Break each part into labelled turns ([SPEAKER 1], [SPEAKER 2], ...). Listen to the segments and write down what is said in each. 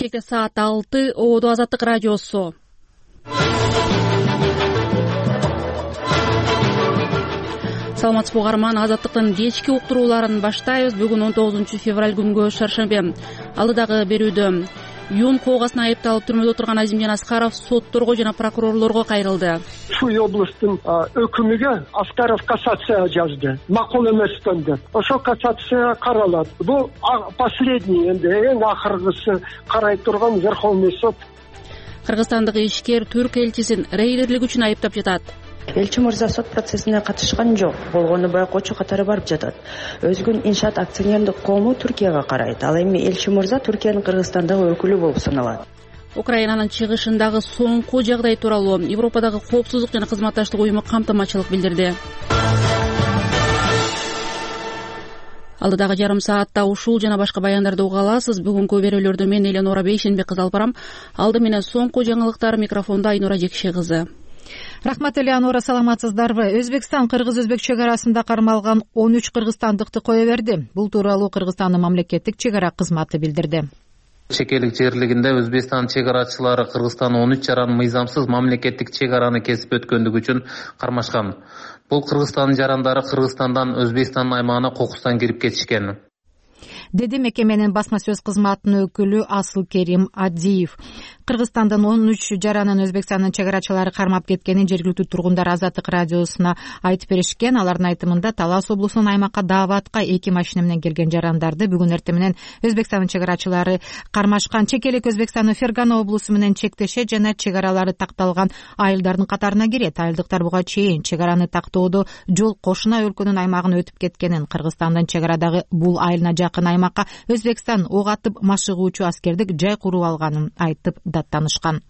[SPEAKER 1] Бишкекте саат 6. Ободо Азаттык радиосу. Саламатсызбы угарман, Азаттыктын кечки уктурууларын баштайбыз. Бүгүн 19 февраль күнгө шаршембе. Алдыдагы берүүдө Юн коогасын айыпталып түрмөдө отурган Азимжан Аскаров сотторго жана прокурорлорго кайрылды.
[SPEAKER 2] Ушу областтын өкүмүгө Аскаров кассация жазды. Макул эместен деп. Ошо кассация каралат. Бул последний энди эң акыркысы карай турган Верховный суд.
[SPEAKER 1] Кыргызстандык ишкер түрк элчисин рейдерлик үчүн айыптап жатат.
[SPEAKER 3] Элчи мырза сот процессине катышкан жок, болгону байкоочу катары барып жатат. Өзгүн иншаат акционердик коому Түркияга карайт. Ал эми Элчи мырза Түркиянын Кыргызстандагы өкүлү болуп саналат.
[SPEAKER 1] Украинанын чыгышындагы соңку жагдай тууралуу Европадагы коопсуздук жана кызматташтык уюму камтамачылык билдирди. Алдыдагы жарым саатта ушул жана башка баяндарды уга аласыз. Бүгүнкү берүүлөрдө мен Эленора Бейшенбек кызы алып барам. Алды менен соңку жаңылыктар, микрофондо Айнура Жекше кызы.
[SPEAKER 4] Рахмат Элеонора, саламатсыздарбы? Өзбекстан кыргыз-өзбек чек арасында кармалган 13 кыргызстандыкты кое берди. Бул тууралуу Кыргызстандын мамлекеттик чек ара кызматы билдирди.
[SPEAKER 5] Чекелик жерлигинде Өзбекстан чек арачылары Кыргызстан 13 жаран мыйзамсыз мамлекеттик чек араны кесип өткөндүгү үчүн кармашкан. Бул Кыргызстандын жарандары Кыргызстандан Өзбекстандын аймагына кокустан кирип кетишкен,
[SPEAKER 4] деди мекеменин басма сөз кызматынын өкүлү Асыл Керим Адиев. Кыргызстандын 13 жаранын Өзбекстандын чек арачылары кармап кеткенин жергиликтүү тургундар Азаттык радиосуна айтып беришкен. Алардын айтымында Талас облусунун аймакка дааватка 2 машина менен келген жарандарды бүгүн эртең менен Өзбекстандын чек арачылары кармашкан. Чекелик Өзбекстандын Фергана облусу менен чектеше жана чек аралары такталган айылдардын катарына кирет. Айылдыктар буга чейин чек араны тактоодо жол кошуна өлкөнүн аймагын өтүп кеткенин, Кыргызстандын чек арадагы бул айылына жакын аймакка Өзбекстан ок атып машыгуучу аскердик жай куруп алганын айтып даттанышкан.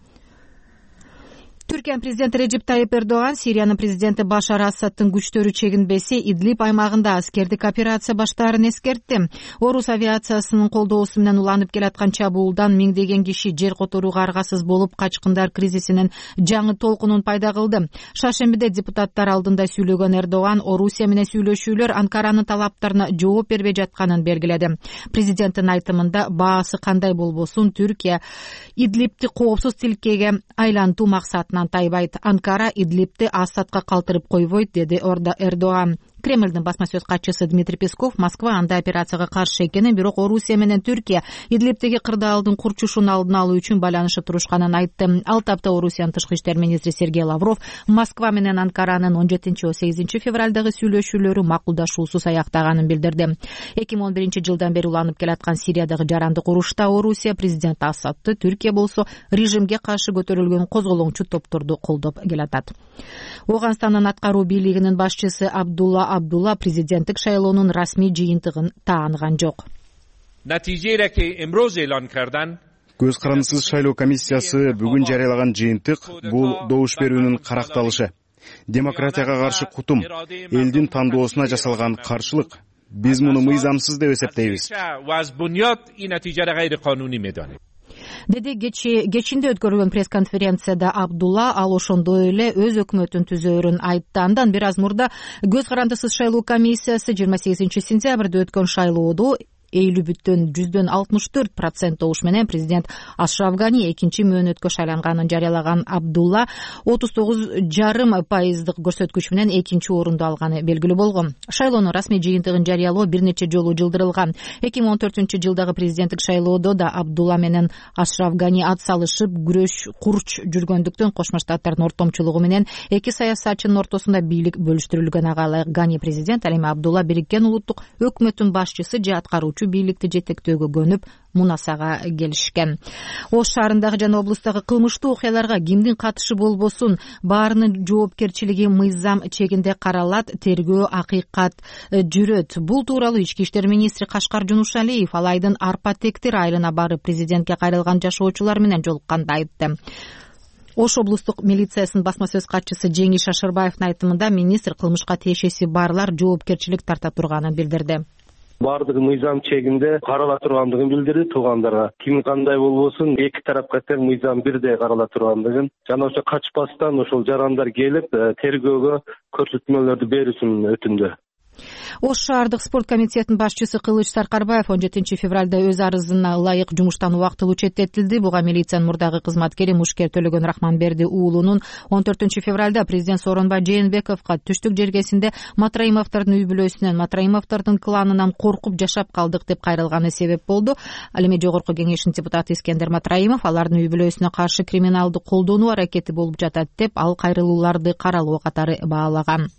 [SPEAKER 4] Түркиянын президенти Режеп Тайип Эрдоган Сириянын президенти Башар Асадтын күчтөрү чегинбесе Идлиб аймагында аскердик операция баштаарын эскертти. Орус авиациясынын колдоосу менен уланып келаткан чабуулдан миңдеген киши жер которууга аргасыз болуп, качкындар кризисинин жаңы толкунун пайда кылды. Шаршембиде депутаттар алдында сүйлөгөн Эрдоган Орусия менен сүйлөшүүлөр Анкаранын талаптарына жооп бербей жатканын белгиледи. Президенттин айтымында баасы кандай болбосун Түркия Идлибти коопсуз тилкеге айлантуу максатынан тайбайт. Анкара Идлибти Асадка калтырып койбойт, деди Эрдоган. Кремлдин басма сөз катчысы Дмитрий Песков Москва андай операцияга каршы экенин, бирок Орусия менен Түркия Идлибтеги кырдаалдын курчушун алдын алуу үчүн байланышып турушканын айтты. Ал тапта Орусиянын тышкы иштер министри Сергей Лавров Москва менен Анкаранын 17-18 февралдагы сүйлөшүүлөрү макулдашуусуз аяктаганын билдирди. 2011 жылдан бери уланып келаткан Сириядагы жарандык урушта Орусия президент Асадты, Түркия болсо режимге каршы көтөрүлгөн козголоңчу топторду колдоп келатат. Оганстандын аткаруу бийлигинин башчысы Абдулла президенттик шайлоонун расмий жыйынтыгын тааныган жок.
[SPEAKER 6] Көз карандысыз шайлоо комиссиясы бүгүн жарыялаган жыйынтык бул добуш берүүнүн каракталышы. Демократияга каршы кутум, элдин тандоосуна жасалган каршылык. Биз муну мыйзамсыз деп эсептейбиз,
[SPEAKER 4] деди кечинде өткөрүлгөн пресс-конференцияда Абдулла. Ал ошондой эле өз өкмөтүн түзөөрүн айтты. Андан бир аз мурда көз карандысыз шайлоо комиссиясы 28 сентябрда өткөн шайлоодо эйлүбүттөн 64% добуш менен президент Ашраф Гани экинчи мөөнөткө шайланганын жарыялаган. Абдулла 39,5% көрсөткүч менен экинчи орунду алганы белгилүү болгон. Шайлоонун расмий жыйынтыгын жарыялоо бир нече жолу жылдырылган. 2014 жылдагы президенттик шайлоодо да Абдулла менен Ашраф Гани ат салышып курч жүргөндүктөн Кошмо Штаттардын ортомчулугу менен эки саясатчынын ортосунда бийлик бөлүштүрүлгөн. Ага Гани президент, ал эми Абдулла Бириккен улуттук өкмөттүн башчысы же аткаруучу бийликти жетектөөгө көнүп мунасага келишкен. Ош шаарындагы жана облустагы кылмыштуу окуяларга кимдин катышы болбосун баарынын жоопкерчилиги мыйзам чегинде каралат, тергөө акыйкат жүрөт. Бул тууралуу ички иштер министри Кашкар Жунушалиев ал айдын Арпа Тектир айылына барып президентке кайрылган жашоочулар менен жолукканда айтты. Ош облустук милициясынын басма сөз катчысы Жеңиш Ашырбаевдин айтымында министр кылмышка тиешеси барлар жоопкерчилик тарта турганын билдирди.
[SPEAKER 7] Бардыгы мыйзам чегинде карала тургандыгын билдирди туугандарга. Ким кандай болбосун эки тарапка тең мыйзам бирдей карала тургандыгын жана ошо качпастан ошол жарандар келип тергөөгө көрсөтмөлөрдү берүүсүн өтүндү.
[SPEAKER 4] Ош шаардык спорт комитетинин башчысы Кылыч Саркарбаев 17 февралда өз арызына ылайык жумуштан убактылуу четтетилди. Буга милициянын мурдагы кызматкери Мушкер Төлөгөн Рахманберди уулунун 14 февралда президент Сооронбай Жээнбековго түштүк жергесинде Матраимовдордун үй бүлөсүнөн, Матраимовдордун кланынан коркуп жашап калдык деп кайрылганы себеп болду. Ал эми жогорку кеңештин депутаты Искендер Матраимов алардын үй бүлөсүнө каршы криминалдык колдонуу аракети болуп жатат деп ал кайрылууларды каралоо катары баалаган.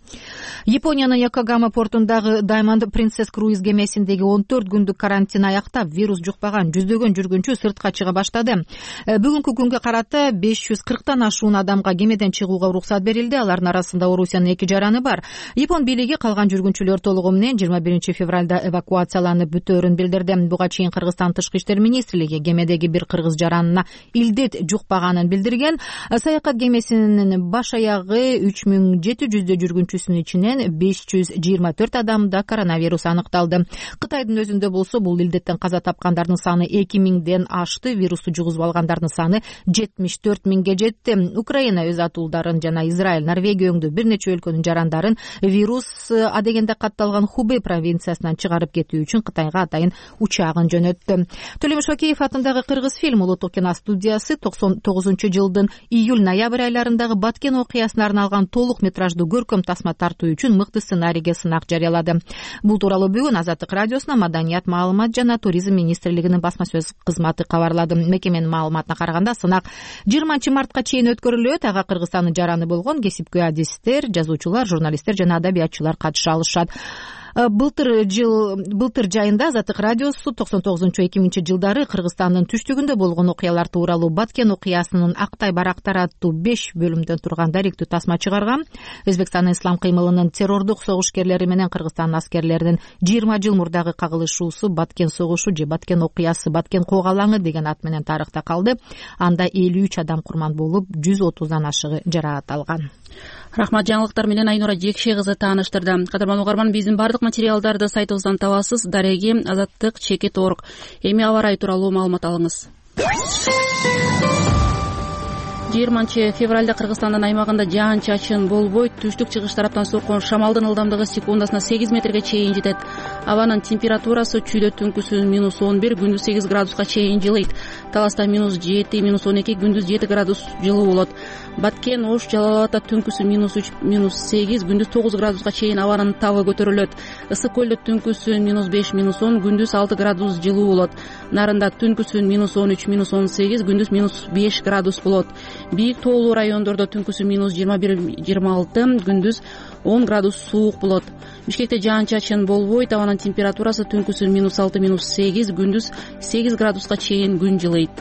[SPEAKER 4] Япониянын Йокогама портундагы Diamond Princess круиз кемесиндеги 14 күндүк карантин аяктап, вирус жукпаган жүздөгөн жүргүнчү сыртка чыга баштады. Бүгүнкү күнгө карата 540тан ашуун адамга кемеден чыгууга уруксат берилди. Алардын арасында Орусиянын 2 жараны бар. Япон бийлиги калган жүргүнчүлөр толугу менен 21 февралда эвакуацияланып бүтөөрүн билдирди. Буга чейин Кыргызстан Тышкы иштер министрлиги кемедеги бир кыргыз жаранына илдет жукпаганын билдирген. Саякат кемесинин баш аягы 3700 жүргүнчүсүнүн ичинен 524 адамда коронавирус аныкталды. Кытайдын өзүндө болсо бул илдеттен каза тапкандардын саны 2000ден ашты, вирусту жугузуп алгандардын саны 74 миңге жетти. Украина өз атуулдарын жана Израиль, Норвегия өңдүү бир нече өлкөнүн жарандарын вирус адегенде катталган Хубэй провинциясынан чыгарып кетүү үчүн Кытайга атайын учагын жөнөттү. Төлөмүш Океев атындагы Кыргызфильм улуттук киностудиясы 99-жылдын июль-ноябрь айларындагы Баткен окуясына арналган толук метраждуу көркөм тасма тартуу үчүн мыкты сценарийге сынак жарыялады. Бул тууралуу бүгүн Азаттык радиосуна Маданият, маалымат жана туризм министрлигинин басма сөз кызматы кабарлады. Мекеменин маалыматына караганда сынак 20 мартка чейин өткөрүлөт. Ага Кыргызстандын жараны болгон кесипкөй адистер, жазуучулар, журналисттер жана адабиятчылар катыша алышат. Былтыр жайында Азаттык радиосу 99-2000 жылдары Кыргызстандын түштүгүндө болгон окуялар тууралуу Баткен окуясынын Актай барактар аттуу 5 бөлүмдөн турган даректүү тасма чыгарган. Өзбекстандын ислам кыймылынын террордук согуш-керлери менен Кыргызстандын аскерлеринин 20 жыл мурдагы кагылышуусу Баткен согушу же Баткен окуясы, Баткен когалаңы деген ат менен тарыхта калды. Анда 53 адам курман болуп, 130дан ашыгы жараат алган.
[SPEAKER 1] Рахмат, жаңылыктар менен Айнура Жекше кызы тааныштырды. Кадырман угарман, биздин бардык материалдарды сайтыбыздан табасыз. Дареги azattik.org. Эми аба ырайы тууралуу маалымат алыңыз. 20 февралда Кыргызстандын аймагында жаан-чачын болбойт. Түштүк чыгыш тараптан соккон шамалдын ылдамдыгы секундасына 8 метрге чейин жетет. Абанын температурасы чүйдө түнкүсү -11, күндүз 8 градуска чейин жылыйт. Таласта -7, -12, күндүз 7 градус жылуу болот. Баткен, Ош, Жалал Абадта түнкүсү -3, -8, күндүз 9 градуска чейин абанын табы көтөрүлөт. Ысык көлдө түнкүсү -5, -10, күндүз 6 градус жылуу болот. Нарында түнкүсү -13, -18, күндүз -5 градус болот. Бийик тоолуу райондордо түнкүсү -21, -26, күндүз 10 градус суук болот. Бишкекте жаан-чачын болбойт. Абанын температурасы түнкүсү -6, -8, күндүз 8 градуска чейин күн жылыйт.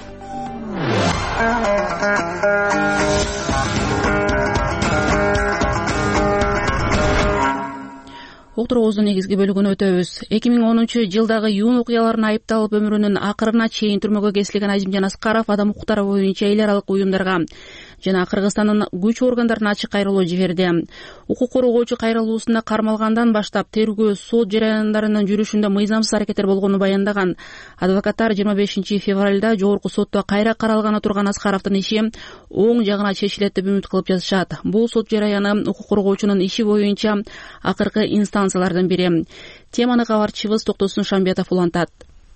[SPEAKER 1] Уктуруубуздун негизги бөлүгүнө өтөбүз. 2010 жылдагы июнь окуяларына айыпталып өмүрүнүн акырына чейин түрмөгө кесилген Азимжан Аскаров адам укуктары боюнча эл аралык уюмдарга жана Кыргызстандын күч органдарына ачык кайрылуу жиберди. Укук коргоочу кайрылуусунда кармалгандан баштап тергөө сот жараяндарынын жүрүшүндө мыйзамсыз аракеттер болгонун баяндаган. Адвокаттар 25 февралда жогорку сотто кайра каралганы турган Аскаровдун иши оң жагына чечилет деп үмүт кылып жатышат. Бул сот жараяны укук коргоочунун иши боюнча акыркы инстанциялардын бири. Теманы кабарчыбыз Токтосун Шамбетов улантат.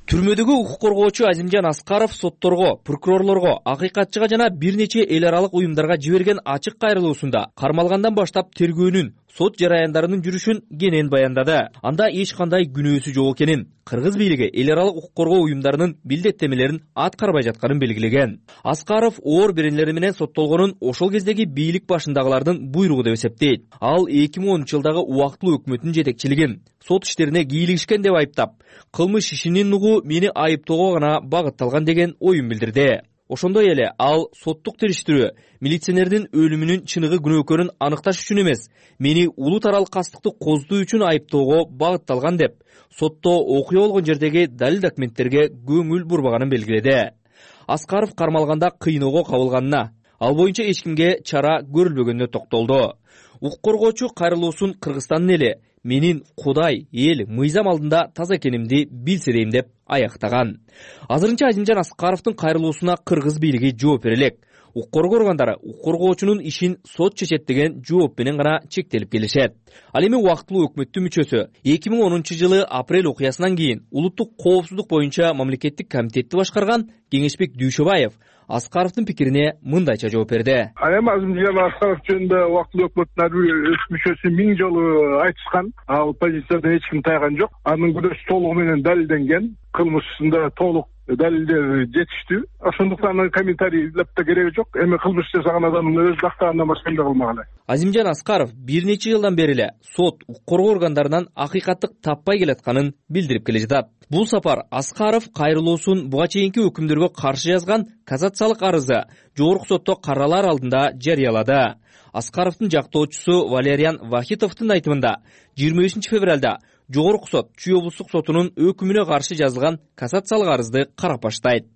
[SPEAKER 8] Түрмөдөгү укук коргоочу Азимжан Аскаров сотторго, прокурорлорго, акыйкатчыга жана бир нече эл аралык уюмдарга жиберген ачык кайрылуусунда кармалгандан баштап тергөөнүн, сот жараяндарынын жүрүшүн кенен баяндады. Анда эч кандай күнөөсү жок экенин, кыргыз бийлиги эл аралык укук коргоо уюмдарынын билдеттемелерин аткарбай жатканын белгилеген. Аскаров оор беренелери менен соттолгонун ошол кездеги бийлик башындагылардын буйругу деп эсептейт. Ал 2010 жылдагы убактылуу өкмөттүн жетекчилигин сот иштерине кийлигишкен деп айыптап, кылмыш ишинин угу мени айыптоого гана багытталган деген оюн билдирди. Ошондой эле ал соттук териштирүү милиционердин өлүмүнүн чыныгы күнөөкөрүн аныкташ үчүн эмес, мени улут аралык кастыкты коздуу үчүн айыптоого багытталган деп сотто окуя болгон жердеги далил документтерге көңүл бурбаганын белгиледи. Аскаров кармалганда кыйноого кабылганына, ал боюнча эч кимге чара көрүлбөгөнүнө токтолду. Укук коргоочу кайрылуусун Кыргызстандын эли менин Кудай, эл, мыйзам алдында таза экенимди билсе дейм деп аяктаган. Азырынча Азимжан Аскаровдун кайрылуусуна кыргыз бийлиги жооп бере элек. укук коргоо органдары укук коргоочунун ишин сот чечет деген жооп менен гана чектелип келишет. Ал эми убактылуу өкмөттүн мүчөсү 2010-жылы апрель окуясынан кийин улуттук коопсуздук боюнча мамлекеттик комитетти башкарган Кеңешбек Дүйшөбаев Аскаровдун пикирине мындайча жооп берди.
[SPEAKER 9] Эми Азимжан Аскаров жөнүндө убактылуу өкмөттүн ар бир мүчөсү 1000 жолу айтышкан. Ал позициядан эч ким тайган жок. Анын күнөөсү толугу менен далилденген. Кылмышында толук далилдер жетиштүү. Ошондуктан комментарийлеп да кереги жок. Эми кылмыш жасаган адамдын өз дактагандан башка эмне кылмак эле.
[SPEAKER 8] Азимжан Аскаров бир нече жылдан бери эле сот, укук коргоо органдарынан акыйкаттык таппай келатканын билдирип келе жатат. Бул сапар Аскаров кайрылуусун буга чейинки өкүмдөргө каршы жазган кассациялык арызы жогорку сотто каралар алдында жарыялады. Аскаровдун жактоочусу Валериан Вахитовдун айтымында 25 февралда жогорку сот Чүй облустук сотунун өкүмүнө каршы жазылган кассациялык арызды карап баштайт.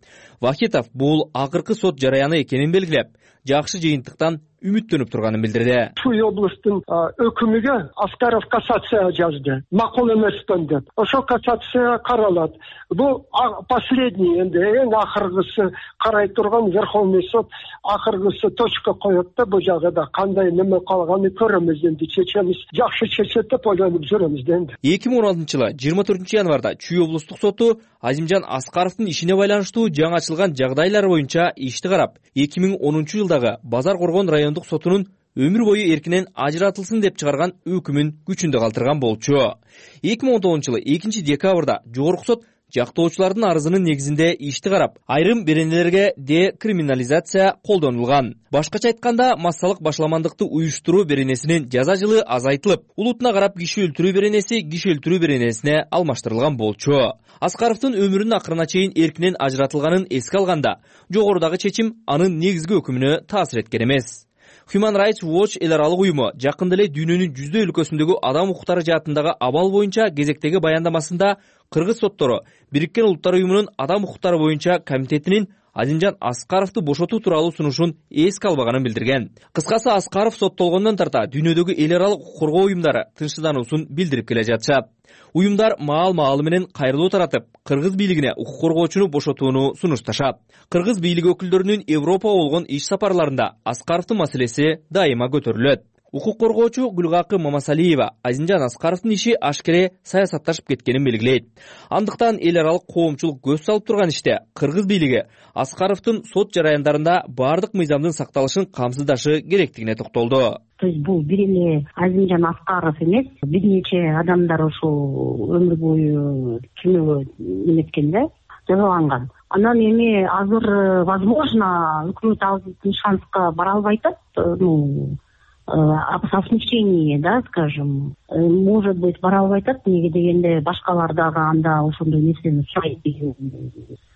[SPEAKER 8] Вахитов бул акыркы сот жараяны экенин белгилеп, жакшы жыйынтыктан үмүттөнүп турганын билдирди.
[SPEAKER 2] Чүй облустун өкүмүгө Аскаров кассация жазды. Макул эместен деп. Ошо кассация каралат. Бул последний энди эң акыргысы карай турган Верховный суд акыргысы точка коет да бул жагда кандай неме калганын көрөмүз энди чечемиз. Жакшы чечет деп ойлонуп жүрөмүз энди.
[SPEAKER 8] 2016-жылы 24 январда Чүй облустук соту Азимжан Аскаровдун ишине байланыштуу жаңы ачылган жагдайлар боюнча ишти карап, 2010-жылдагы Базар Коргон райондук сотунун өмүр бою эркинен ажыратылсын деп чыгарган өкүмүн күчүндө калтырган болчу. 2019-жылы 2-декабрда жогорку сот жактоочулардын арызынын негизинде ишти карап, айрым беренелерге декриминализация колдонулган. Башкача айтканда, массалык башламандыкты уюштуруу беренесинин жаза жылы азайтылып, улутуна карап киши өлтүрүү беренеси киши өлтүрүү беренесине алмаштырылган болчу. Аскаровдун өмүрүнүн акырына чейин эркинен ажыратылганын эске алганда, жогорудагы чечим анын негизги өкүмүнө таасир эткен эмес. Human Rights Watch эл аралык уюму жакында эле дүйнөнүн 100 өлкөсүндөгү адам укуктары жаатындагы абал боюнча кезектеги баяндамасында кыргыз соттору Бириккен Улуттар уюмунун адам укуктары боюнча комитетинин Азимжан Аскаровду бошотуу тууралуу сунушун эске албаганын билдирген. Кыскасы, Аскаров соттолгондон тарта дүйнөдөгү эл аралык укук коргоо уюмдары тынчсыздануусун билдирип келе жатышат. Уюмдар маал-маалы менен кайрылуу таратып, кыргыз бийлигине укук коргоочуну бошотууну сунушташат. Кыргыз бийлиги өкүлдөрүнүн Европага болгон иш сапарларында Аскаровдун маселеси дайыма көтөрүлөт. Укук коргоочу Гүлгакы Мамасалиева Азимжан Аскаровдун иши ашкере саясатташып кеткенин белгилейт. Андыктан эл аралык коомчулук көз салып турган иште кыргыз бийлиги Аскаровдун сот жараяндарында баардык мыйзамдын сакталышын камсыздашы керектигине токтолду.
[SPEAKER 10] То есть бул бир эле Азимжан Аскаров эмес, бир нече адамдар ушул өмүр бою түрмөгө неметкен да, жазаланган. Анан эми азыр возможно өкмөт алдын шанска бара албай атат, о смягчении, да, скажем, может быть, бара албай атат, неге дегенде башкалар дагы анда ошондой нерсени сурайт деген.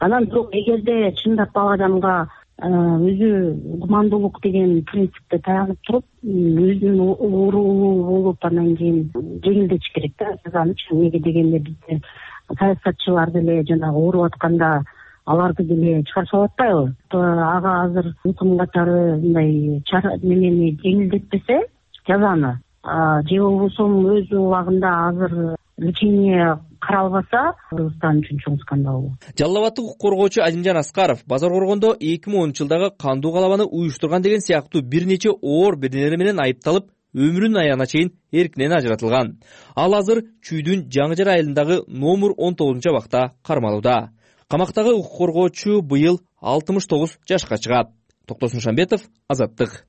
[SPEAKER 10] Анан бирок эгерде чындап ал адамга өзү гумандуулук деген принципте таянып туруп, өзүнүн уурулуу болуп анан кийин жеңилдетиш керек да жазанычы. Неге дегенде бизде саясатчылар деле жанагы ооруп атканда аларды деле чыгарып салып атпайбы? Ага азыр өкүм катары мындай немени жеңилдетпесе жазаны, же болбосо өз убагында азыр лечение каралбаса, Кыргызстан үчүн чоң скандал.
[SPEAKER 8] Жалал Абадтык укук коргоочу Азимжан Аскаров Базар Коргондо 2010-жылдагы кандуу калабаны уюштурган деген сыяктуу бир нече оор беренелер менен айыпталып, өмүрүнүн аягына чейин эркинен ажыратылган. Ал азыр Чүйдүн Жаңыжар айылындагы номер 19-абакта кармалууда. Камактагы укук коргоочу быйыл 69 жашка чыгат. Токтосун Шамбетов, Азаттык.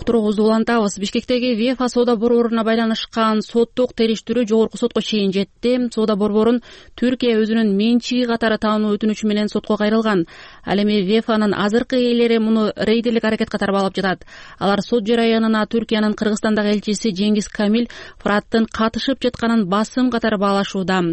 [SPEAKER 1] Уктуруубузду улантабыз. Бишкектеги ВЕФА соода борборуна байланышкан соттук териштирүү жогорку сотко чейин жетти. Соода борборун Түркия өзүнүн менчиги катары таануу өтүнүчү менен сотко кайрылган. Ал эми ВЕФАнын азыркы ээлери муну рейдерлик аракет катары баалап жатат. Алар сот жараянына Түркиянын Кыргызстандагы элчиси Жеңиз Камил Фыраттын катышып жатканын басым катары баалашууда.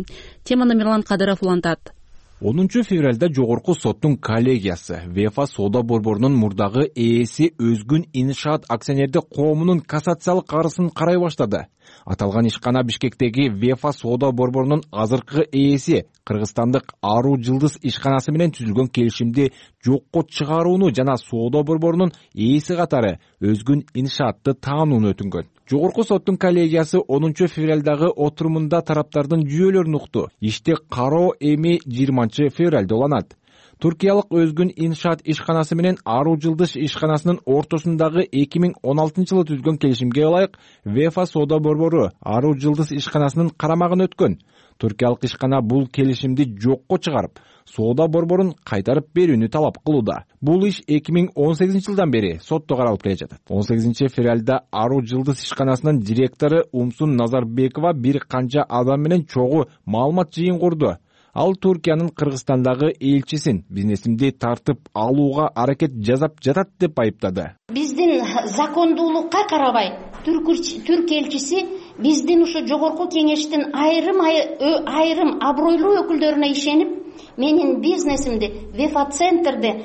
[SPEAKER 1] Теманы Мирлан Кадыров улантат.
[SPEAKER 11] 10 февралда жогорку соттун коллегиясы ВЕФА соода борборунун мурдагы ээси Өзгүн Иншаат акционердик коомунун кассациялык арызын карай баштады. Аталган ишкана Бишкектеги ВЕФА соода борборунун азыркы ээси Кыргызстандык Аруу Жылдыз ишканасы менен түзүлгөн келишимди жокко чыгарууну жана соода борборунун ээси катары Өзгүн Иншаатты таанууну өтүнгөн. Жогорку соттун коллегиясы 10 февралдагы отурумунда тараптардын жүйөлөрүн укту. Иште кароо эми 20 февралда уланат. Туркиялык Өзгүн Иншаат ишканасы менен Ару Жылдыш ишканасынын ортосундагы 2016-жылы түзгөн келишимге ылайык ВЕФА соода борбору Ару Жылдыш ишканасынын карамагына өткөн. Туркиялык ишкана бул келишимди жокко чыгарып, соода борборун кайтарып берүүнү талап кылууда. Бул иш 2018-жылдан бери сотто каралып келе жатат. 18 февралда Ару Жылдыш ишканасынын директору Умсун Назарбекова бир канча адам менен чогуу маалымат жыйын курду. Ал Туркиянын Кыргызстандагы элчисин бизнесимди тартып алууга аракет жасап жатат деп айыптады.
[SPEAKER 12] Биздин закондуулукка карабай Түрк элчиси биздин ушу жогорку кеңештин айрым абройлуу өкүлдөрүнө ишенип, менин бизнесимди ВЕФА центрде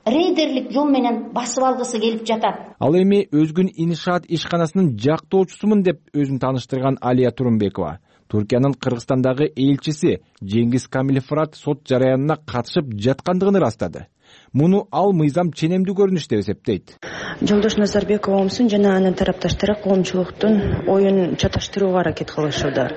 [SPEAKER 12] рейдерлик жол менен басып алгысы келип жатат.
[SPEAKER 11] Ал эми Өзгүн Иншаат ишканасынын жактоочусумун деп өзүн тааныштырган Алия Турумбекова Туркиянын Кыргызстандагы элчиси Жеңгиз Камилфрат сот жараянына катышып жаткандыгын ырастады. Муну ал мыйзам ченемдүү көрүнүш деп эсептейт.
[SPEAKER 3] Жолдош Назарбекова Умсун жана анын тарапташтары коомчулуктун оюн чаташтырууга аракет кылышууда.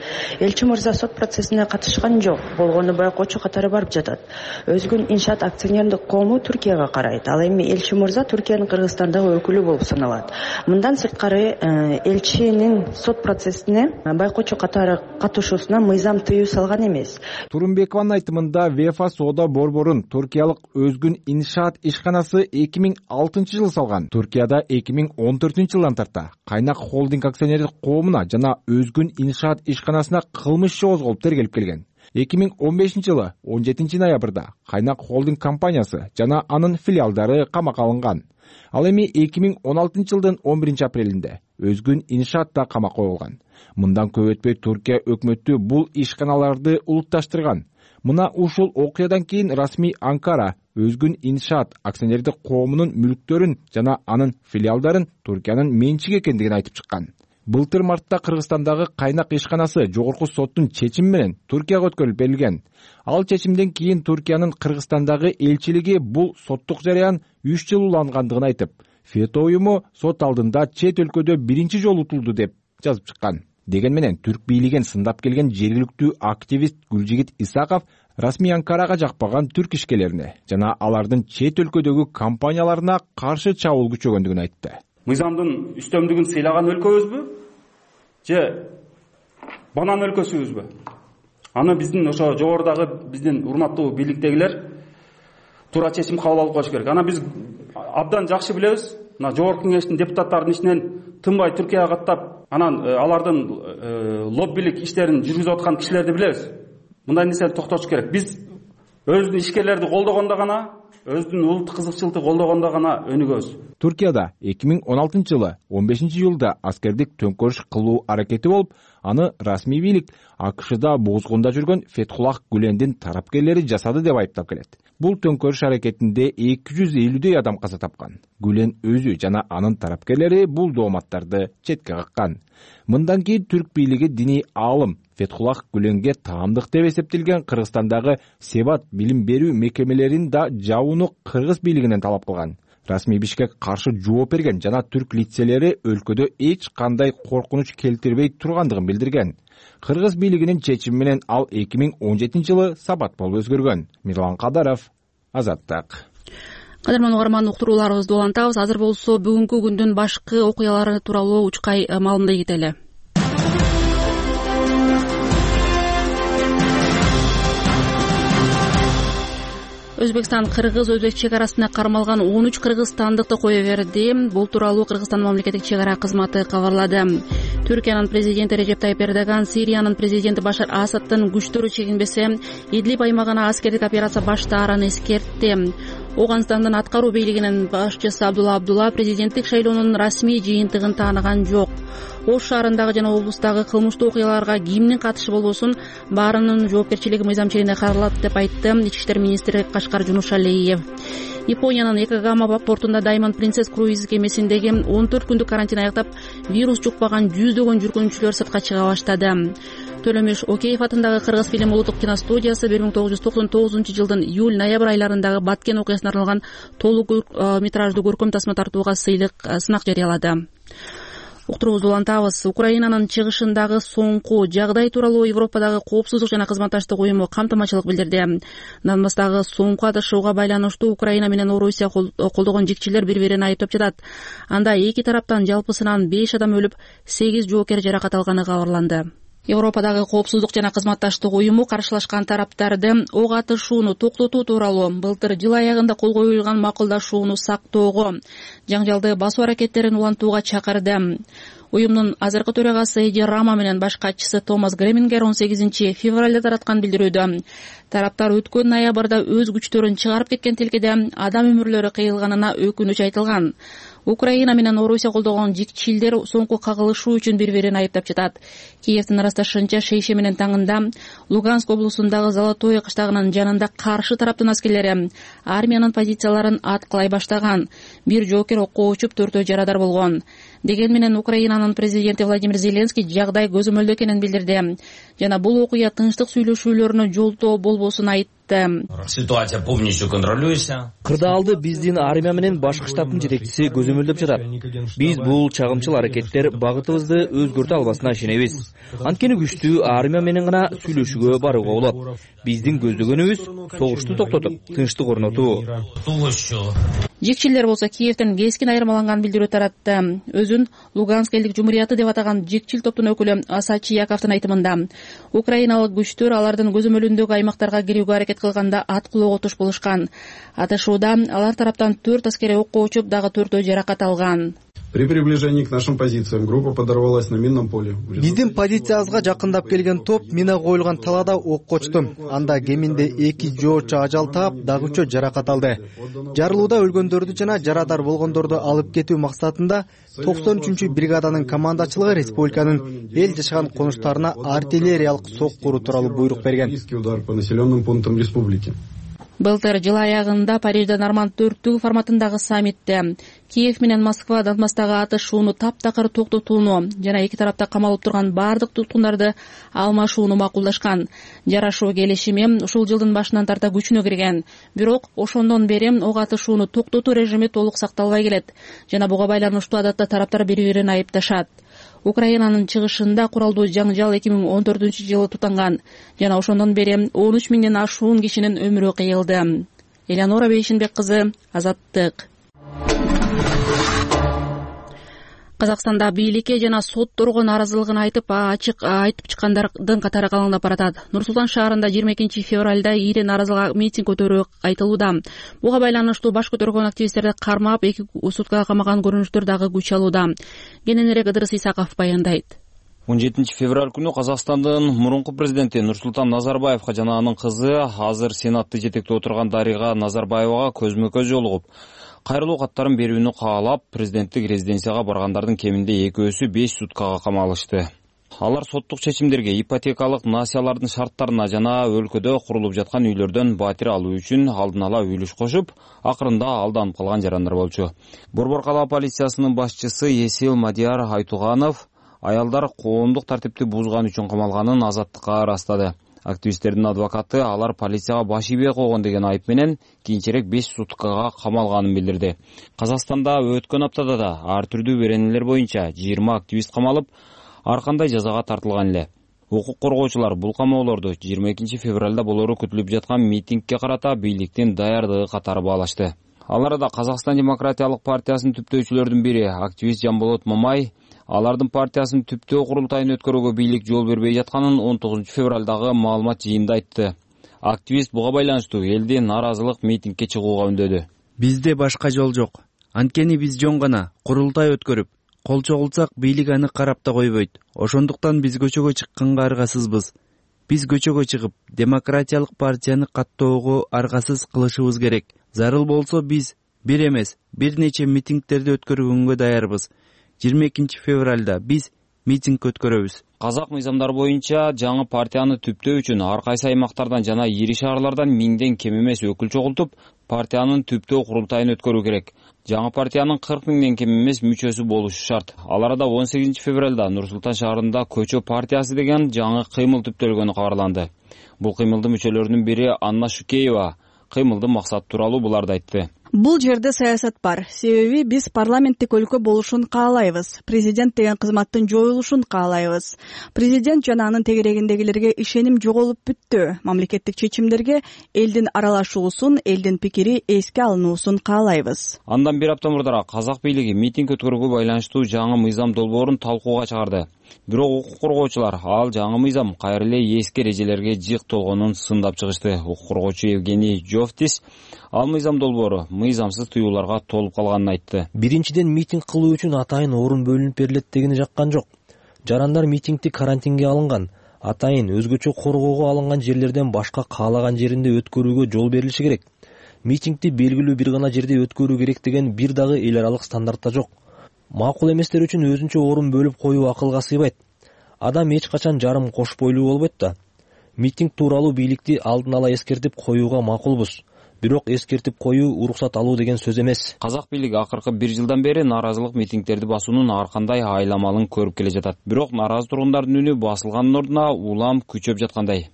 [SPEAKER 3] Элчи мырза сот процессине катышкан жок, болгону байкоочу катары барып жатат. Өзгүн Иншаат акционердик коому Түркияга карайт. Ал эми элчи мырза Түркиянын Кыргызстандагы өкүлү болуп саналат. Мындан сырткары элчинин сот процессине байкоочу катары катышуусуна мыйзам тыюу салган эмес.
[SPEAKER 11] Турумбекованын айтымында ВЕФА соода борборун туркиялык Өзгүн Иншаат ишканасы 2006-жылы салган. Туркияда 2014-жылдан тарта Кайнак холдинг акционердик коомуна жана Өзгүн Иншаат ишканасына кылмыш иши козголуп тергелип келген. 2015-жылы 17 ноябрда Кайнак холдинг компаниясы жана анын филиалдары камакка алынган. Ал эми 2016-жылдын 11 апрелинде Өзгүн Иншаат да камакка коюлган. Мындан көп өтпөй Туркия өкмөтү бул ишканаларды улутташтырган. Мына ушул окуядан кийин расмий Анкара Өзгүн Иншаат акционердик коомунун мүлктөрүн жана анын филиалдарын Туркиянын менчиги экендигин айтып чыккан. Былтыр мартта Кыргызстандагы Кайнак ишканасы жогорку соттун чечими менен Туркияга өткөрүлүп берилген. Ал чечимден кийин Туркиянын Кыргызстандагы элчилиги бул соттук жараян 3 жыл улангандыгын айтып, ФЕТО уюму сот алдында чет өлкөдө биринчи жолу утулду деп жазып чыккан. Деген менен түрк бийлигин сындап келген жергиликтүү активист Гүлжигит Исаков расмий Анкарага жакпаган түрк ишкерлерине жана алардын чет өлкөдөгү компанияларына каршы чабуул күчөгөндүгүн айтты.
[SPEAKER 13] Мыйзамдын үстөмдүгүн сыйлаган өлкөбүзбү же банан өлкөсүбүзбү? Аны биздин ошо жогорудагы биздин урматтуу бийликтегилер туура чечим кабыл алып коюш керек. Аны биз абдан жакшы билебиз. Мына жогорку кеңештин депутаттарынын ичинен тынбай Түркияга каттап, анан алардын лоббилик иштерин жүргүзүп аткан кишилерди билебиз. Мындай нерсени токтотуш керек. Биз өзүбүздүн ишкерлерди колдогондо гана, өзүнүн улуттук кызыкчылыкты колдогондо гана өнүгөбүз.
[SPEAKER 11] Туркияда 2016-жылы 15-июлда аскердик төңкөрүш кылуу аракети болуп, аны расмий бийлик АКШда бузгунда жүргөн Фетхуллах Гүлендин тарапкерлери жасады деп айыптап келет. Бул төңкөрүш аракетинде 250 адам каза тапкан. Гүлен өзү жана анын тарапкерлери бул дооматтарды четке каккан. Мындан кийин түрк бийлиги диний аалым Фетхуллах Гүленге таамдык деп эсептелген Кыргызстандагы Себат билим берүү мекемелерин да жабууну кыргыз бийлигинен талап кылган. Расмий Бишкек каршы жооп берген жана түрк лицелери өлкөдө эч кандай коркунуч келтирбей тургандыгын билдирген. Кыргыз бийлигинин чечими менен ал 2017-жылы сабат болуп өзгөргөн. Мирлан Кадаров, Азаттык.
[SPEAKER 1] Кадырман угарман, уктурууларыбызды улантабыз. Азыр болсо бүгүнкү күндүн башкы окуялары тууралуу учкай маалымдай кетели. Өзбекстан Кыргыз-Өзбек чек арасына кармалган 13 кыргызстандыкты кое берди. Бул тууралуу Кыргызстан мамлекеттик чек ара кызматы кабарлады. Түркиянын президенти Режеп Тайып Эрдоган Сириянын президенти Башар Асадтын күчтөрү чегинбесе Идлиб аймагына аскердик операция баштаарын эскертти. Оганстандын аткаруу бийлигинин башчысы Абдулла президенттик шайлоонун расмий жыйынтыгын тааныган жок. Ош шаарындагы жана облустагы кылмыштуу окуяларга кимдин катышы болбосун баарынын жоопкерчилиги мыйзам чегинде каралат деп айтты Ички иштер министри Кашкар Жунушалиев. Япониянын Якогама портунда Diamond Princess круиз кемесиндеги 14 күндүк карантин аяктап, вирус жукпаган жүздөгөн жүргүнчүлөр сыртка чыга баштады. Төлөмүш Океев атындагы Кыргыз фильм улуттук киностудиясы 1999 жылдын июль-ноябрь айларындагы Баткен окуясына арналган толук метраждуу көркөм тасма тартууга сынак жарыялады. Уктуруубузду улантабыз. Украинанын чыгышындагы соңку жагдай тууралуу Европадагы коопсуздук жана кызматташтык уюму камтымачылык билдирди. Донбасстагы соңку атышууга байланыштуу Украина менен Орусия колдогон жикчилер бири-бирин айыптап жатат. Анда эки тараптан жалпысынан 5 адам өлүп, 8 жоокер жаракат алганы кабарланды. Европадагы коопсуздук жана кызматташтык уюму каршылашкан тараптарды ок атышууну токтотуу тууралуу былтыр жыл аягында кол коюлган макулдашууну сактоого, жаңжалды басуу аракеттерин улантууга чакырды. Уюмдун азыркы төрагасы Эди Рама менен баш катчысы Томас Гремингер 18 февралда тараткан билдирүүдө тараптар өткөн ноябрда өз күчтөрүн чыгарып кеткен тилкеде адам өмүрлөрү кыйылганына өкүнүч айтылган. Украина менен Орусия колдогон жикчилдер соңку кагылышуу үчүн бири-бирин айыптап жатат. Киевдин ырасташынча шейше менен таңында Луганск облусундагы Золотое кыштагынын жанында каршы тараптын аскерлери армиянын позицияларын аткылай баштаган. Бир жоокер окко учуп, 4 жарадар болгон. Деген менен Украинанын президенти Владимир Зеленский жагдай көзөмөлдүү экенин билдирди жана бул окуя тынчтык сүйлөшүүлөрүнө жолтоо болбосун айтты.
[SPEAKER 14] Ситуация полностью контролируется.
[SPEAKER 8] Кырдаалды биздин армия менен башкы штабтын жетекчиси көзөмөлдөп жатат. Биз бул чагымчыл аракеттер багытыбызды өзгөртө албасына ишенебиз. Анткени күчтүү армия менен гана сүйлөшүүгө барууга болот. Биздин көздөгөнүбүз согушту токтотуп, тынчтык орнотуу.
[SPEAKER 1] Жикчилер болсо Киевден кескин айырмаланган билдирүү таратты. Өзүн Луганск элдик жумурияты деп атаган жикчил топтун өкүлү Асачи Яковдун айтымында, украиналык күчтөр алардын көзөмөлүндөгү аймактарга кирүүгө аракет кылганда аткылоого туш болушкан. Атышууда алар тараптан 4 аскери окко учуп, дагы 4 жаракат алган.
[SPEAKER 15] При приближении к нашим позициям группа подорвалась на минном поле.
[SPEAKER 16] Биздин позициябызга жакындап келген топ мина коюлган талаада окко учту. Анда кеминде 2 жоочу ажал таап, дагы 3 жаракат алды. Жарылууда өлгөндөрдү жана жарадар болгондорду алып кетүү максатында 93 бригаданын командачылыгы республиканын эл жашаган конуштарына артиллериялык сок куруу тууралуу буйрук берген.
[SPEAKER 15] Удар по населенным пунктам республики.
[SPEAKER 1] Былтыр жыл аягында Парижде Норманд 4 форматындагы саммитте Киев менен Москва Донбасстагы атышууну таптакыр токтотууну жана эки тарапта камалып турган бардык туткундарды алмашууну макулдашкан. Жарашуу келишими ушул жылдын башынан тарта күчүнө кирген. Бирок ошондон бери ок атышууну токтотуу режими толук сакталбай келет жана буга байланыштуу адатта тараптар бири-бирин айыпташат. Украинанын чыгышында куралдуу жаңжал 2014-жылы тутанган жана ошондон бери 13 миңден ашуун кишинин өмүрү кыйылды. Элеонора Бейшинбек кызы, Азаттык. Казакстанда бийликке жана сотторго нааразылыгын айтып чыккандардын катары калыңдап баратат. Нур-Султан шаарында 22 февралда ири нааразылык митинг көтөрүү айтылууда. Буга байланыштуу баш көтөргөн активисттерди кармап 2 суткага камаган көрүнүштөр дагы күч алууда. Кененирээк Ыдырыс Исаков баяндайт.
[SPEAKER 17] 17 февраль күнү Казакстандын мурунку президенти Нурсултан Назарбаевга жана анын кызы, азыр Сенатты жетектеп отурган Дарига Назарбаевага көзмө-көз жолугуп, кайрылуу каттарын берүүнү каалап, президенттик резиденцияга баргандардын кеминде 2-өсү 5 суткага камалышты. Алар соттук чечимдерге, ипотекалык насиялардын шарттарына жана өлкөдө курулуп жаткан үйлөрдөн батир алуу үчүн алдын ала үлүш кошуп, акырында алданып калган жарандар болчу. Борбор калаа полициясынын башчысы Есил Мадияр Айтуганов аялдар коомдук тартипти бузган үчүн камалганын Азаттыкка ырастады. Активисттердин адвокаты алар полицияга баш ийбей койгон деген айып менен кийинчерээк 5 суткага камалганын билдирди. Казакстанда өткөн аптада да ар түрдүү беренелер боюнча 20 активист камалып, ар кандай жазага тартылган эле. Укук коргоочулар бул камоолорду 22 февралда болору күтүлүп жаткан митингге карата бийликтин даярдыгы катары баалашты. Аларда Казакстан демократиялык партиясынын түптөөчүлөрдүн бири активист Жамболот Мамай алардын партиясынын түптөө курултайын өткөрүүгө бийлик жол бербей жатканын 19 февралдагы маалымат жыйынында айтты. Активист буга байланыштуу элди нааразылык митингге чыгууга үндөдү.
[SPEAKER 18] Бизде башка жол жок. Анткени биз жөн гана курултай өткөрүп, кол чогулсак бийлик аны карап да койбойт. Ошондуктан биз көчөгө чыкканга аргасызбыз. Биз көчөгө чыгып, демократиялык партияны каттоого аргасыз кылышыбыз керек. Зарыл болсо биз бир эмес, бир нече митингдерди өткөргөнгө даярбыз. 22 февралда биз митинг өткөрөбүз.
[SPEAKER 17] Казак мыйзамдары боюнча жаңы партияны түптөө үчүн ар кайсы аймактардан жана ири шаарлардан 1000ден кем эмес өкүл чогултуп, партиянын түптөө курултайын өткөрүү керек. жаңы партиянын 40 миңден кем эмес мүчөсү болушу шарт. Ал арада 18 февралда Нур-Султан шаарында Көчө партиясы деген жаңы кыймыл түптөлгөнү кабарланды. Бул кыймылдын мүчөлөрүнүн бири Анна Шукеева кыймылдын максаты тууралуу буларды айтты.
[SPEAKER 19] Бул жерде саясат бар. Себеби биз парламенттик өлкө болушун каалайбыз. Президент деген кызматтын жоюлушун каалайбыз. Президент жана анын тегерегиндегилерге ишеним жоголуп бүттү. Мамлекеттик чечимдерге элдин аралашуусун, элдин пикири эске алынуусун каалайбыз.
[SPEAKER 17] Андан бир апта мурдараак казак бийлиги митинг өткөрүүгө байланыштуу жаңы мыйзам долбоорун талкууга чыгарды. Бирок укук коргоочулар ал жаңы мыйзам кайра эле эски эрежелерге жыйк толгонун сындап чыгышты. Укук коргоочу Евгений Жовтис ал мыйзам долбоору мыйзамсыз тыюуларга толуп калганын айтты.
[SPEAKER 20] Биринчиден, митинг кылуу үчүн атайын орун бөлүнүп берилет дегени жаккан жок. Жарандар митингди карантинге алынган, атайын өзгөчө коргоого алынган жерлерден башка каалаган жеринде өткөрүүгө жол берилиши керек. Митингди белгилүү бир гана жерде өткөрүү керек деген бир дагы эл аралык стандартта жок. Макул эместер үчүн өзүнчө орун бөлүп коюу акылга сыйбайт. Адам эч качан жарым кош бойлуу болбойт да. Митинг тууралуу бийликти алдын ала эскертип коюуга макулбуз. Бирок эскертип коюу уруксат алуу деген сөз эмес.
[SPEAKER 17] Казак бийлиги акыркы 1 жылдан бери нааразылык митингдерди басуунун ар кандай айламалын көрүп келе жатат. Бирок нааразы тургундардын үнү басылганын ордуна улам күчөп жаткандай.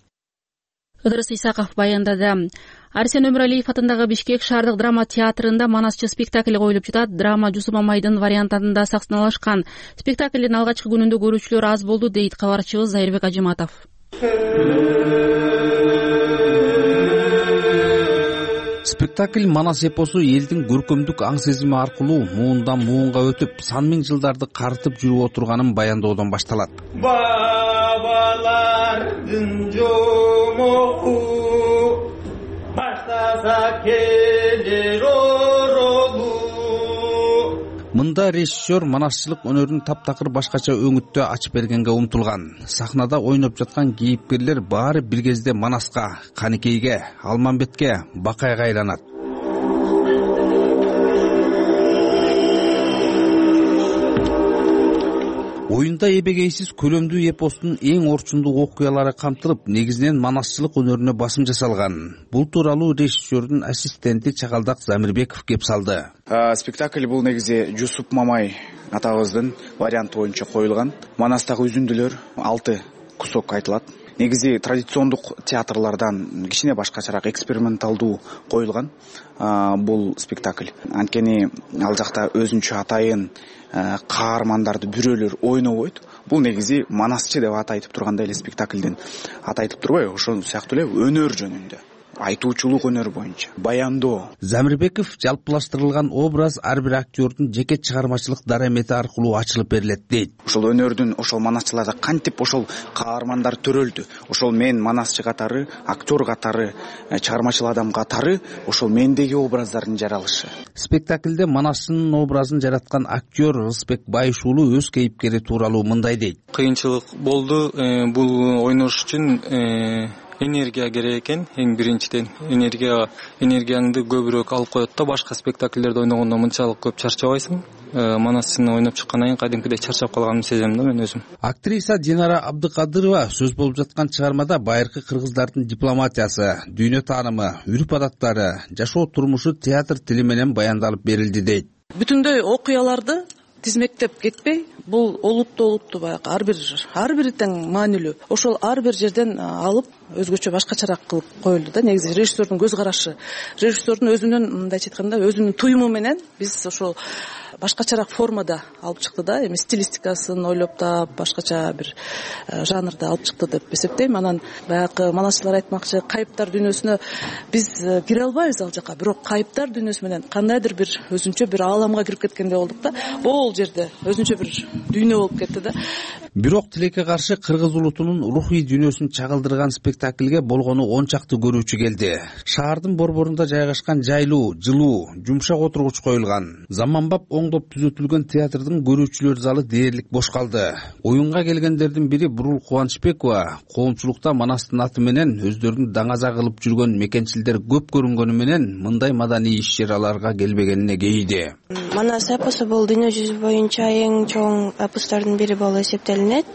[SPEAKER 1] Ыдырыс Исаков баяндады. Арсен Өмүралиев атындагы Бишкек шаардык драма театрында манасчы спектакль коюлуп жатат. Драма Жусуп Мамайдын вариантында сахналашкан. Спектаклдин алгачкы күнүндө көрүүчүлөр аз болду, дейт кабарчыбыз Зайырбек Ажыматов.
[SPEAKER 21] Спектакль Манас эпосу элдин көркөмдүк аң сезими аркылуу муундан муунга өтүп, сан миң жылдарды карытып жүрүп отурганын баяндоодон башталат. Бабалардын жомоку баштаса келер оролу. Мында режиссер манасчылык өнөрүн таптакыр башкача өңүттө ачып бергенге умтулган. Сахнада ойноп жаткан кейипкерлер баары бир кезде Манаска, Каникейге, Алмамбетке, Бакайга айланат. Оюнда эбегейсиз көлөмдүү эпостун эң орчундуу окуялары камтылып, негизинен манасчылык өнөрүнө басым жасалган. Бул тууралуу режиссердин ассистенти Чакалдак Замирбеков кеп салды.
[SPEAKER 22] Спектакль бул негизи Жусуп Мамай атабыздын варианты боюнча коюлган. Манастагы үзүндүлөр 6 кусок айтылат. Негизи традициондук театрлардан кичине башкачараак эксперименталдуу коюлган бул спектакль. Анткени ал жакта өзүнчө атайын каармандарды бүрөлөр ойнобойт. Бул негизи манасчы деп аты айтып тургандай эле спектаклдин аты айтып турбайбы? Ошол сыяктуу эле өнөр жөнүндө. Айтуучулук өнөр боюнча баяндоо.
[SPEAKER 21] Замирбеков жалпылаштырылган образ ар бир актёрдун жеке чыгармачылык дарамети аркылуу ачылып берилет дейт.
[SPEAKER 22] Ошол өнөрдүн ошол манасчыларда кантип ошол каармандар төрөлдү. Ошол мен манасчы катары, актер катары, чыгармачыл адам катары ошол мендеги образдардын жаралышы.
[SPEAKER 21] Спектаклде манасчынын образын жараткан актер Рысбек Байыш уулу өз кейипкери тууралуу мындай дейт.
[SPEAKER 23] Кыйынчылык болду. Бул ойнош үчүн энергия керек экен. Эң биринчиден энергияңды көбүрөөк алып коет да. Башка спектакльдерде ойногондо мынчалык көп чарчабайсың. Манасчыны ойноп чыккандан кийин кадимкидей чарчап калганымды сезем да мен өзүм.
[SPEAKER 21] Актриса Динара Абдыкадырова сөз болуп жаткан чыгармада байыркы кыргыздардын дипломатиясы, дүйнө таанымы, үрп адаттары, жашоо турмушу театр тили менен баяндалып берилди дейт.
[SPEAKER 24] Бүтүндөй окуяларды тизмектеп кетпей, бул олуттуу баягы ар бири тең маанилүү. Ошол ар бир жерден алып өзгөчө башкачараак кылып коюлду да. Негизи режиссердун көз карашы, режиссердун өзүнүн мындайча айтканда өзүнүн туюму менен биз ошол башкачараак формада алып чыкты да. Эми стилистикасын ойлоп таап, башкача бир жанрда алып чыкты деп эсептейм. Анан баягы манасчылар айтмакчы, кайыптар дүйнөсүнө биз кире албайбыз ал жака, бирок кайыптар дүйнөсү менен кандайдыр бир өзүнчө бир ааламга кирип кеткендей болдук да. Бул жерде өзүнчө бир дүйнө болуп кетти да.
[SPEAKER 21] Бирок тилекке каршы кыргыз улутунун рухий дүйнөсүн чагылдырган спектакльге болгону 10 чакты көрүүчү келди. Шаардын борборунда жайгашкан жайлуу, жылуу, жумшак отургуч коюлган. Заманбап оңдоп түзөтүлгөн театрдын көрүүчүлөр залы дээрлик бош калды. Оюнга келгендердин бири Бурул Кубанычбекова коомчулукта Манастын аты менен өздөрүн даңаза кылып жүргөн мекенчилдер көп көрүнгөнү менен мындай маданий иш-чараларга келбегенине кейиди.
[SPEAKER 25] Манас эпосу бул дүйнө жүзү боюнча эң чоң эпостордун бири болуп эсептелинет.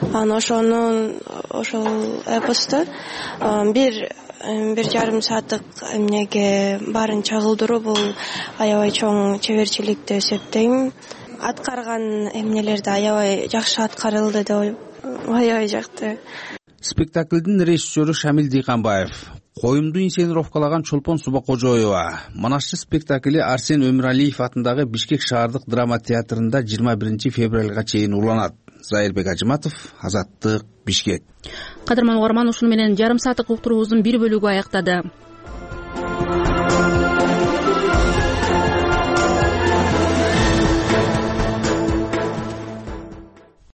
[SPEAKER 25] Ошол эпосту бир 1,5 сааттык эмнеге баарын чагылдыруу бул аябай чоң чеберчилик деп эсептейм. Аткарган эмнелерди аябай жакшы аткарылды деп аябай жакты.
[SPEAKER 21] Спектаклдин режиссеру Шамил Дыйканбаев, коюмду инсценировкалаган Чолпон Субакожоева. Манашчы спектакли Арсен Өмүралиев атындагы Бишкек шаардык драма театрында 21 февралга чейин уланат. Зайырбек Ажыматов, Азаттык, Бишкек.
[SPEAKER 1] Кадырман угарман, ушуну менен жарым сааттык уктуруубуздун бир бөлүгү аяктады.